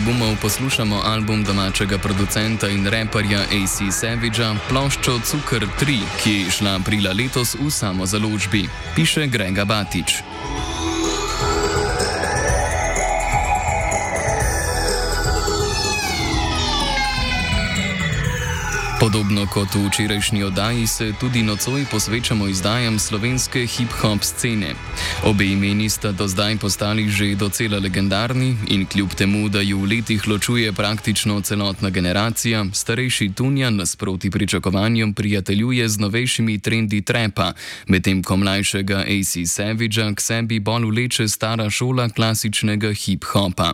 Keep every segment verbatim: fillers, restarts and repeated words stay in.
albumov poslušamo album domačega producenta in reperja A C Savagea, ploščo Cukr tri, ki je šla aprila letos v samozaložbi, piše Grega Batič. Podobno kot v včerajšnji oddaji se tudi nocoj posvečamo izdajam slovenske hip-hop scene. Obe imeni sta do zdaj postali že docela legendarni in kljub temu, da ju v letih ločuje praktično celotna generacija, starejši Tunja nasproti pričakovanjem prijateljuje z novejšimi trendi trapa, medtem ko mlajšega A C Savagea k sebi bolj vleče stara šola klasičnega hip-hopa.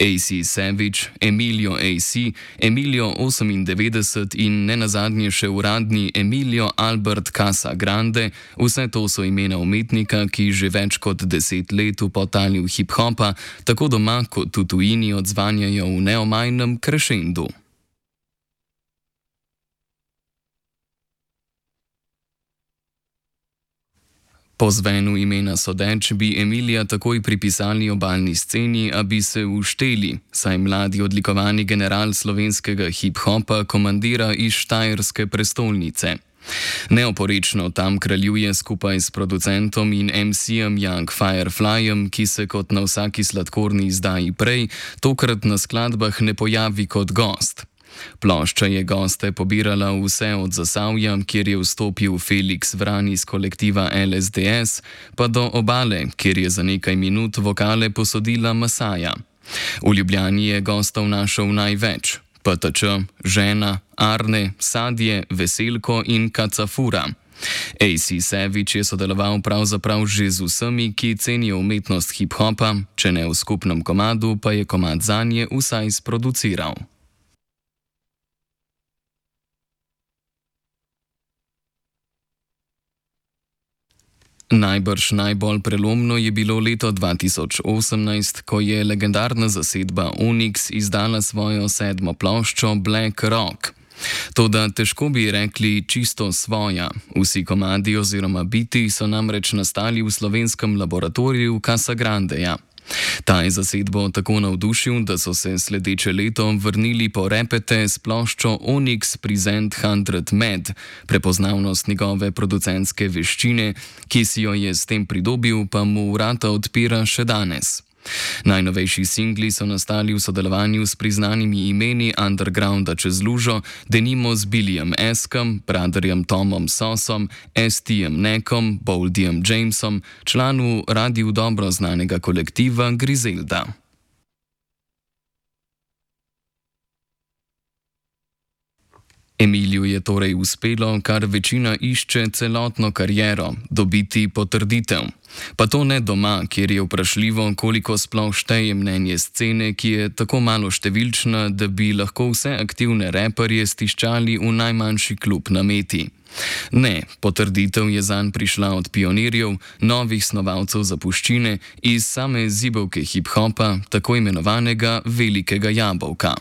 A C Savage, Emilio A C, Emilio osemindevetdeset in nenazadnje še uradni Emilio Albert Casa Grande, vse to so imena umetnika, ki že več kot deset let v potalju hip-hopa, tako doma kot v tujini odzvanjajo v neomajnem krešendu. Po zvenu imena sodeč bi Emilija takoj pripisali obalni sceni, a bi se ušteli, saj mladi odlikovani general slovenskega hip-hopa komandira iz štajerske prestolnice. Neoporečno tam kraljuje skupaj s producentom in em si-jem Young Fireflyjem, ki se kot na vsaki sladkorni izdaji prej, tokrat na skladbah ne pojavi kot gost. Plošča je goste pobirala vse od Zasavja, kjer je vstopil Felix Vran iz kolektiva L S D S, pa do Obale, kjer je za nekaj minut vokale posodila Masaja. V Ljubljani je gostov našel največ: P T Č, Žena, Arne, Sadje, Veselko in Kacafura. A C Savage je sodeloval pravzaprav že z vsemi, ki cenijo umetnost hip-hopa, če ne v skupnem komadu, pa je komad zanje vsaj sproduciral. Najbrž najbolj prelomno je bilo leto dva tisoč osemnajst, ko je legendarna zasedba Onyx izdala svojo sedmo ploščo Black Rock. Toda težko bi rekli čisto svoja. Vsi komadi oziroma biti so namreč nastali v slovenskem laboratoriju Casa Grandeja. Ta je zasedbo tako navdušil, da so se sledeče leto vrnili po repete s ploščo Onyx Present sto Med, prepoznavnost njegove producentske veščine, ki si jo je s tem pridobil, pa mu vrata odpira še danes. Najnovejši singli so nastali v sodelovanju s priznanimi imeni undergrounda čez lužo, denimo z Billyjem Eskom, Brotherjem Tomom Sosom, S T-jem Nekom, Boldyjem Jamesom, članu radiju dobro znanega kolektiva Griselda. Emiliju je torej uspelo, kar večina išče celotno kariero, dobiti potrditev. Pa to ne doma, kjer je vprašljivo, koliko sploh šteje mnenje scene, ki je tako malo številčna, da bi lahko vse aktivne reperje stiščali v najmanjši klub na Meti. Ne, potrditev je zanj prišla od pionirjev, novih snovalcev zapuščine, iz same zibelke hip-hopa, tako imenovanega velikega jabolka.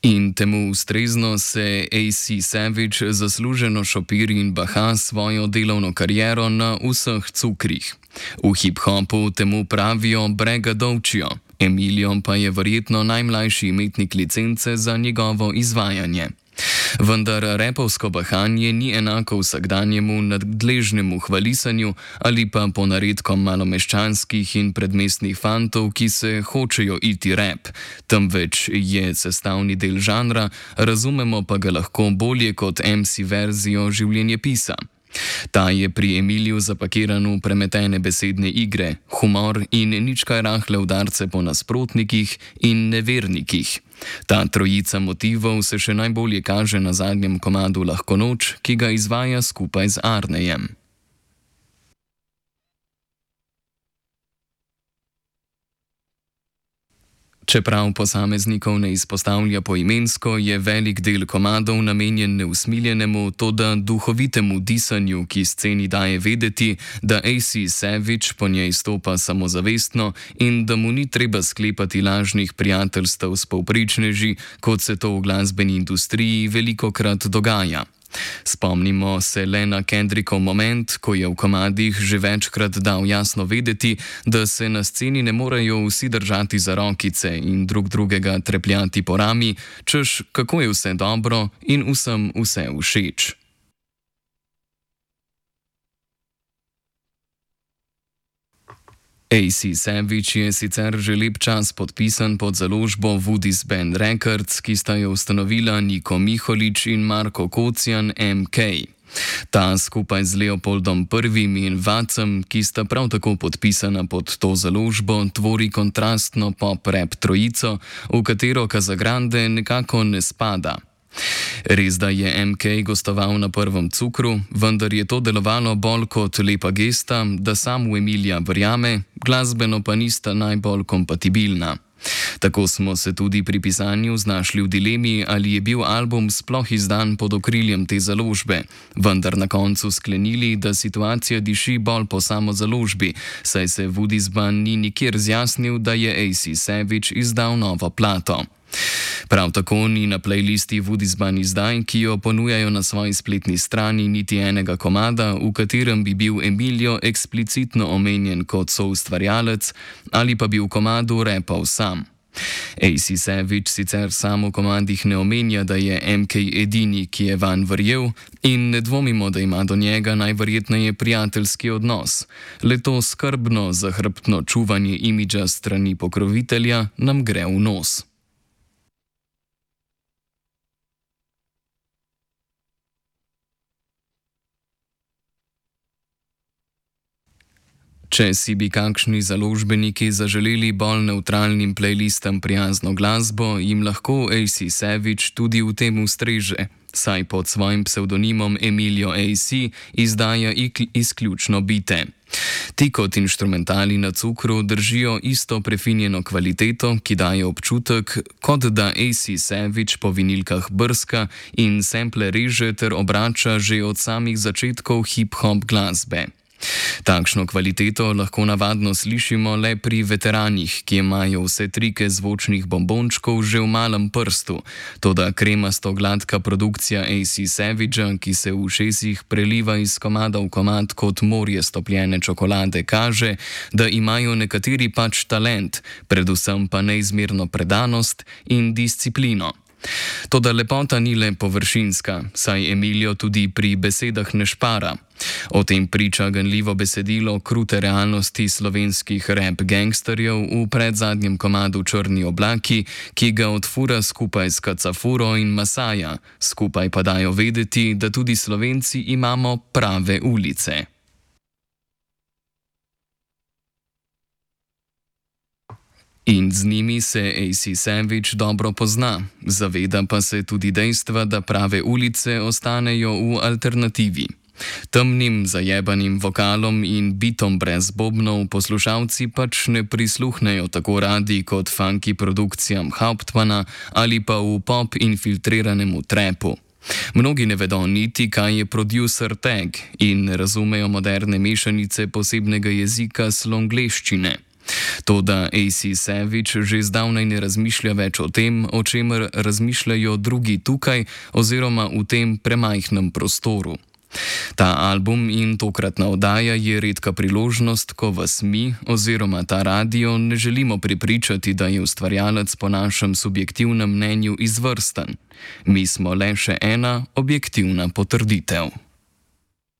In temu ustrezno se A C Savage zasluženo šopiri in baha svojo delovno kariero na vseh cukrih. V hip-hopu temu pravijo bregadovčijo, Emilijo pa je verjetno najmlajši imetnik licence za njegovo izvajanje. Vendar repovsko bahanje ni enako vsakdanjemu nadležnemu hvalisanju ali pa ponaredkom malomeščanskih in predmestnih fantov, ki se hočejo iti rap, temveč je sestavni del žanra, razumemo pa ga lahko bolje kot em si verzijo življenjepisa. Ta je pri Emiliju zapakiran v premetene besedne igre, humor in nič kaj rahle udarce po nasprotnikih in nevernikih. Ta trojica motivov se še najbolje kaže na zadnjem komadu Lahko noč, ki ga izvaja skupaj z Arnejem. Čeprav posameznikov ne izpostavlja poimensko, je velik del komadov namenjen neusmiljenemu, toda duhovitemu disanju, ki sceni daje vedeti, da A C Savage po njej stopa samozavestno in da mu ni treba sklepati lažnih prijateljstev s povprečneži, kot se to v glasbeni industriji velikokrat dogaja. Spomnimo se le na Kendrickov moment, ko je v komadih že večkrat dal jasno vedeti, da se na sceni ne morejo vsi držati za rokice in drug drugega trepljati po rami, češ kako je vse dobro in vsem vse všeč. A C Savage je sicer že lep čas podpisan pod založbo Woody's Band Records, ki sta jo ustanovila Niko Miholič in Marko Kocijan M K. Ta skupaj z Leopoldom Prvim in Vacem, ki sta prav tako podpisana pod to založbo, tvori kontrastno pop-rap trojico, v katero Casagrande nekako ne spada. Res, da je M K gostoval na Prvem cukru, vendar je to delovalo bolj kot lepa gesta, da sam v Emilija verjame, glasbeno pa nista najbolj kompatibilna. Tako smo se tudi pri pisanju znašli v dilemi, ali je bil album sploh izdan pod okriljem te založbe, vendar na koncu sklenili, da situacija diši bolj po samo založbi, saj se Woody's Band ni nikjer zjasnil, da je A C Savage izdal novo plato. Prav tako ni na playlisti Woody's Band izdaj, ki jo ponujajo na svoji spletni strani, niti enega komada, v katerem bi bil Emilio eksplicitno omenjen kot soustvarjalec ali pa bi v komadu repal sam. A C Savage sicer sam v komadih ne omenja, da je M K edini, ki je vanj verjel, in ne dvomimo, da ima do njega najverjetneje prijateljski odnos. Le to skrbno, zahrbtno čuvanje imidža strani pokrovitelja nam gre v nos. Če si bi kakšni založbeniki zaželeli bolj nevtralnim playlistam prijazno glasbo, jim lahko A C Savage tudi v tem ustreže, saj pod svojim psevdonimom Emilio A C izdaja izključno bite. Ti kot inštrumentali na cukru držijo isto prefinjeno kvaliteto, ki daje občutek, kot da A C Savage po vinilkah brska in sample reže ter obrača že od samih začetkov hip-hop glasbe. Takšno kvaliteto lahko navadno slišimo le pri veteranih, ki imajo vse trike zvočnih bombončkov že v malem prstu, toda kremasto gladka produkcija A C Savagea, ki se v ušesih preliva iz komada v komad kot morje stopljene čokolade, kaže, da imajo nekateri pač talent, predvsem pa neizmerno predanost in disciplino. Toda lepota ni le površinska, saj Emilio tudi pri besedah ne špara. O tem priča ganljivo besedilo krute realnosti slovenskih rap gangsterjev v predzadnjem komadu Črni oblaki, ki ga odfura skupaj s Kacafuro in Masaja, skupaj pa dajo vedeti, da tudi Slovenci imamo prave ulice. In z njimi se A C Savage dobro pozna, zaveda pa se tudi dejstva, da prave ulice ostanejo v alternativi. Temnim, zajebanim vokalom in bitom brez bobnov poslušalci pač ne prisluhnejo tako radi kot funky produkcijam Hauptmana ali pa v pop infiltriranemu trapu. Mnogi ne vedo niti, kaj je producer tag in ne razumejo moderne mešanice posebnega jezika slongleščine. Toda A C Savage že zdavnaj ne razmišlja več o tem, o čemer razmišljajo drugi tukaj oziroma v tem premajhnem prostoru. Ta album in tokratna oddaja je redka priložnost, ko vas mi oziroma ta radio ne želimo prepričati, da je ustvarjalec po našem subjektivnem mnenju izvrsten. Mi smo le še ena objektivna potrditev.